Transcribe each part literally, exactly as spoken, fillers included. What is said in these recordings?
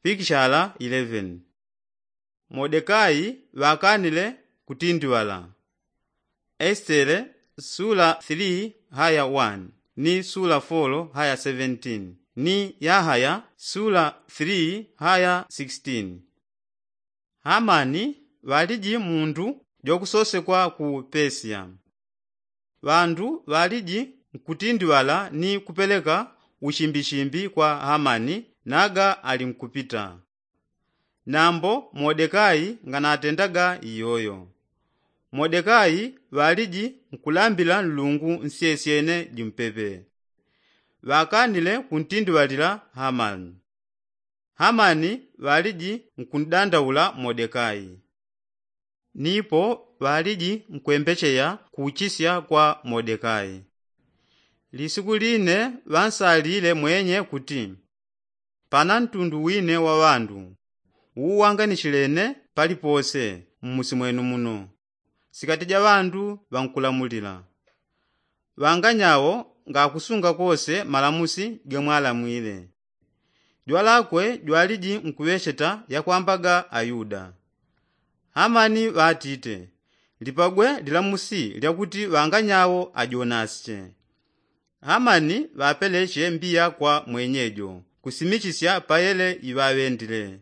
pikishala eleven. Modekai ŵakanile kutindiŵala. Esitele sula three haya one ni sula four haya seventeen ni yahaya sula three haya sixteen. Hamani ŵaliji mundu jwakusosekwa ku Pesiya. Ŵandu ŵaliji nkutindiŵala ni kupeleka uchimbishimbi kwa Hamani naga ali nkupita. Nambo Modekai nganatendaga iyoyo. Modekai ŵaliji nkulambila Nlungu nsyesyene jimpepe. Ŵakanile kuntindiŵalila Hamani. Hamani ŵaliji nkundandaula Modekai. Nipo ŵaliji nkwembecheya kuchisya kwa Modekai. Lisiku line ŵansalile mwenye kuti, pana ntundu wine wa ŵandu uwanganichilene palipose mmusi mwenu muno, sikati ja ŵandu ŵankulamulila. Ŵanganyawo ngakusunga kose malamusi gemwalamwile. Jwalakwe jwaliji nkuŵecheta yakwambaga Ayuda. Hamani ŵatite, lipagwe lilamusi lyakuti ŵanganyawo ajonasiche. Hamani ŵapeleche mbiya kwa mwenyejo kusimichisya payele iŵaŵendile.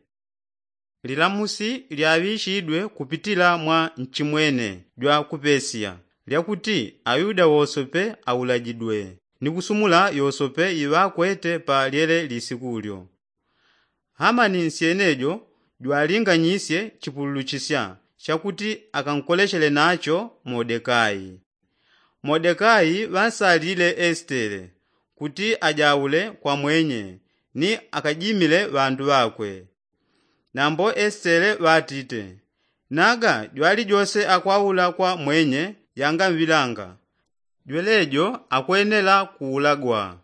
Lilamusi lyaŵichidwe kupitila mwa nchimwene jwa ku Pesiya lyakuti Ayuda wosope aulajidwe ni kusumula yosope iŵakwete pa lyele lisikulyo. Hamani nsyenejo jwalinganyisye chipululuchisya chakuti akankolechele nacho Modekai. Modekai ŵansalile Esitele kuti ajaule kwa mwenye ni akajimile ŵandu ŵakwe. Nambo Esitele ŵatite, naga jwalijose akwaula kwa mwenye yangamŵilanga, jwelejo akwenela kuulagwa.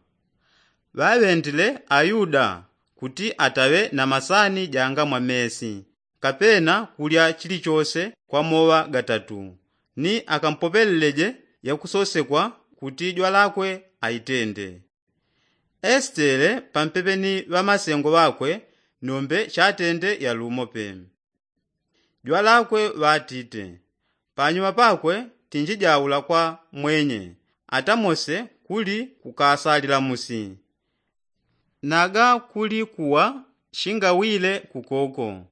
Ŵaŵendile Ayuda kuti ataŵe na masani janga mwa mesi kapena kulya chilichose kwa moŵa gatatu, ni akampopeleleje yakusosekwa kuti jwalakwe aitende. Esitele pampepe ni ŵamasengo ŵakwe nombe chatende yalumo pe. Jwalakwe ŵatite, panyuma pakwe tinjijaula kwa mwenye atamose kuli kukasalilamusi. Naga kuli kuwa shingawile kukoko.